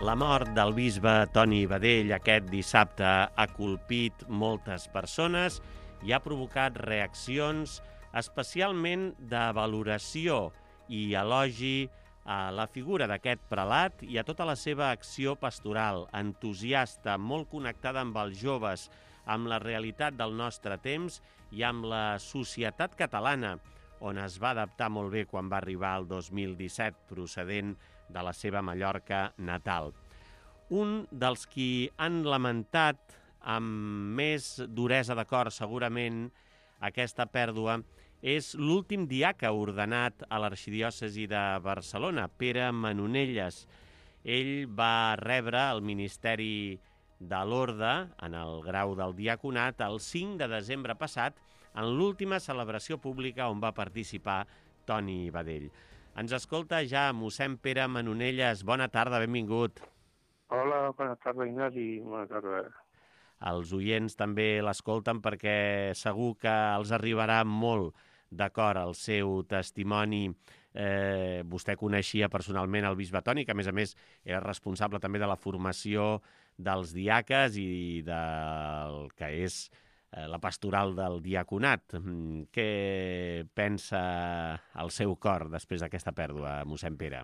La mort del bisbe Toni Badell aquest dissabte ha colpit moltes persones i ha provocat reaccions especialment de valoració i elogi a la figura d'aquest prelat i a tota la seva acció pastoral, entusiasta, molt connectada amb els joves, amb la realitat del nostre temps i amb la societat catalana, on es va adaptar molt bé quan va arribar el 2017, procedent de la seva Mallorca natal. Un dels qui han lamentat amb més duresa de cor, segurament, aquesta pèrdua, és l'últim diaca ordenat a l'arxidiòcesi de Barcelona, Pere Manonelles. Ell va rebre el Ministeri de l'Orde, en el grau del diaconat, el 5 de desembre passat, en l'última celebració pública on va participar Toni Badell. Ens escolta ja mossèn Pere Manonelles. Bona tarda, benvingut. Hola, bona tarda, Ignasi. Bona tarda. Els oients també l'escolten perquè segur que els arribarà molt d'acord el seu testimoni. Vostè coneixia personalment el bisbe Toni, que a més era responsable també de la formació dels diaques i del que és la pastoral del diaconat. Què pensa el seu cor després d'aquesta pèrdua, mossèn Pere?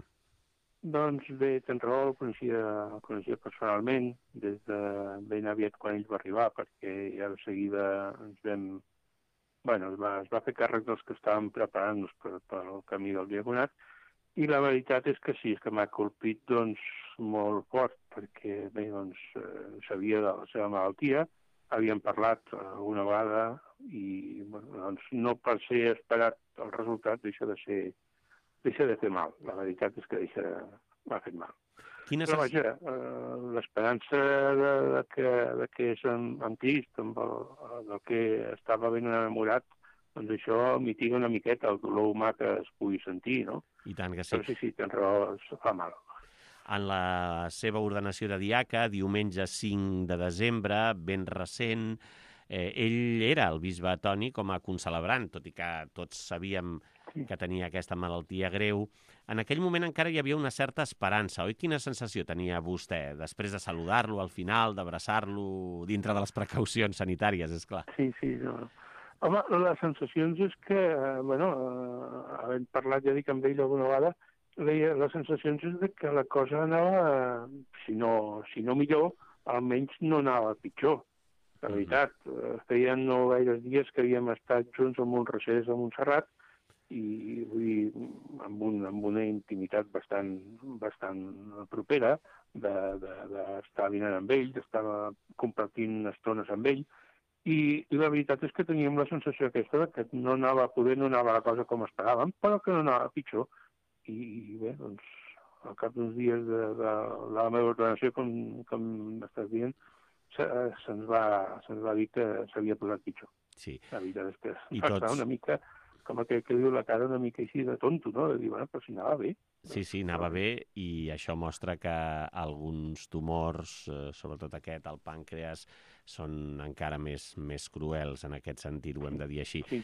Doncs bé, tens raó, el coneixia personalment des de ben aviat quan ell va arribar, perquè ja de seguida ens vam... Bueno, es va fer càrrec dels que estàvem preparant-nos pel camí del diaconat, i la veritat és que sí, és que m'ha colpit doncs, molt fort, perquè bé, doncs, sabia de la seva malaltia, havíem parlat alguna vegada i bueno, doncs, no per ser esperat el resultat deixa de fer mal. La veritat és que m'ha fet mal. Però vaja, l'esperança de que és en Crist, del que estava ben enamorat, doncs això mitiga una miqueta el dolor humà que es pugui sentir, no? I tant que sí. Però sí, tens raó, fa mal. En la seva ordenació de diaca, diumenge 5 de desembre, ben recent, ell era el bisbe Toni com a concelebrant, tot i que tots sabíem que tenia aquesta malaltia greu. En aquell moment encara hi havia una certa esperança, oi? Quina sensació tenia vostè després de saludar-lo al final, d'abraçar-lo dintre de les precaucions sanitàries, és clar? Sí. No. Home, les sensacions és que, havent parlat, ja dic, amb ell alguna vegada, les sensacions és que la cosa anava, si no millor, almenys no anava pitjor. La veritat, feien no gaires dies que havíem estat junts en un recés a Montserrat i amb una intimitat bastant propera d'estar dinant amb ell, d'estar compartint estones amb ell, i la veritat és que teníem la sensació aquesta que no anava la cosa com esperàvem, però que no anava pitjor. I bé, doncs, al cap d'uns dies de la meva ordenació, com estàs dient, se'ns va dir que s'havia posat pitjor. Sí. La veritat és que va estar una mica, com aquell que diu la cara una mica així de tonto, no? De dir, bueno, però si anava bé. Sí, anava bé, i això mostra que alguns tumors, sobretot aquest, el pàncreas, són encara més cruels en aquest sentit, ho hem de dir així. Sí.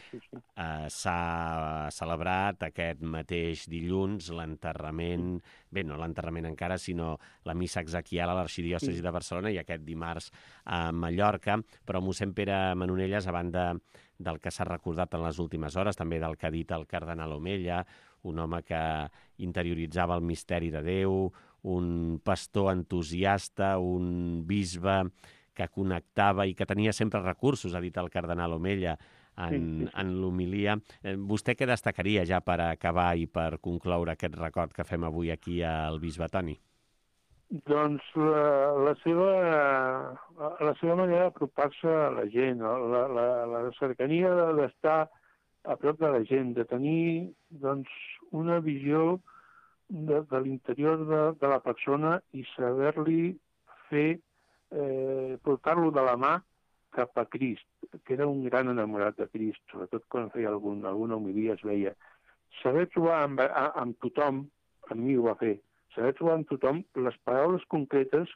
S'ha celebrat aquest mateix dilluns l'enterrament, bé, no l'enterrament encara, sinó la missa exequial a l'arxidiòcesi de Barcelona i aquest dimarts a Mallorca, però mossèn Pere Manonelles, a banda del que s'ha recordat en les últimes hores, també del que ha dit el cardenal Omella, un home que interioritzava el misteri de Déu, un pastor entusiasta, un bisbe que connectava i que tenia sempre recursos, ha dit el cardenal Omella, en l'homilia. Vostè què destacaria ja per acabar i per concloure aquest record que fem avui aquí al bisbe Toni? Doncs la seva manera d'apropar-se a la gent, la cercania d'estar a prop de la gent, de tenir doncs, una visió de l'interior de la persona i saber-li fer, portar-lo de la mà cap a Crist, que era un gran enamorat de Crist, sobretot quan feia alguna homilia es veia. Saber trobar amb tothom, amb mi ho va fer, saber trobar amb tothom les paraules concretes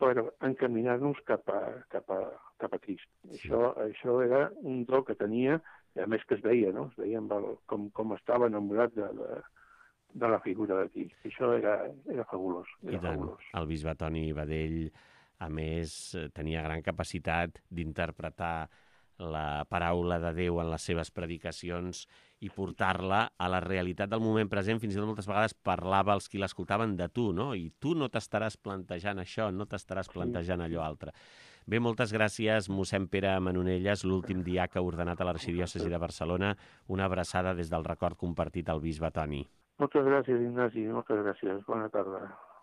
per encaminar-nos cap a Crist. Sí. Això era un do que tenia, i a més que es veia, no? Es veia com estava enamorat de la figura d'aquí. Això era fabulós. I tant, el bisbe Toni Badell, a més, tenia gran capacitat d'interpretar la paraula de Déu en les seves predicacions i portar-la a la realitat del moment present. Fins i tot moltes vegades parlava als qui l'escoltaven de tu, no? I tu no t'estaràs plantejant això, no t'estaràs plantejant allò altre. Bé, moltes gràcies, mossèn Pere Manonelles, l'últim diaca ordenat a l'Arxidiòcesi de Barcelona. Una abraçada des del record compartit al bisbe Toni. Moltes gràcies, Ignasi, moltes gràcies. Bona tarda.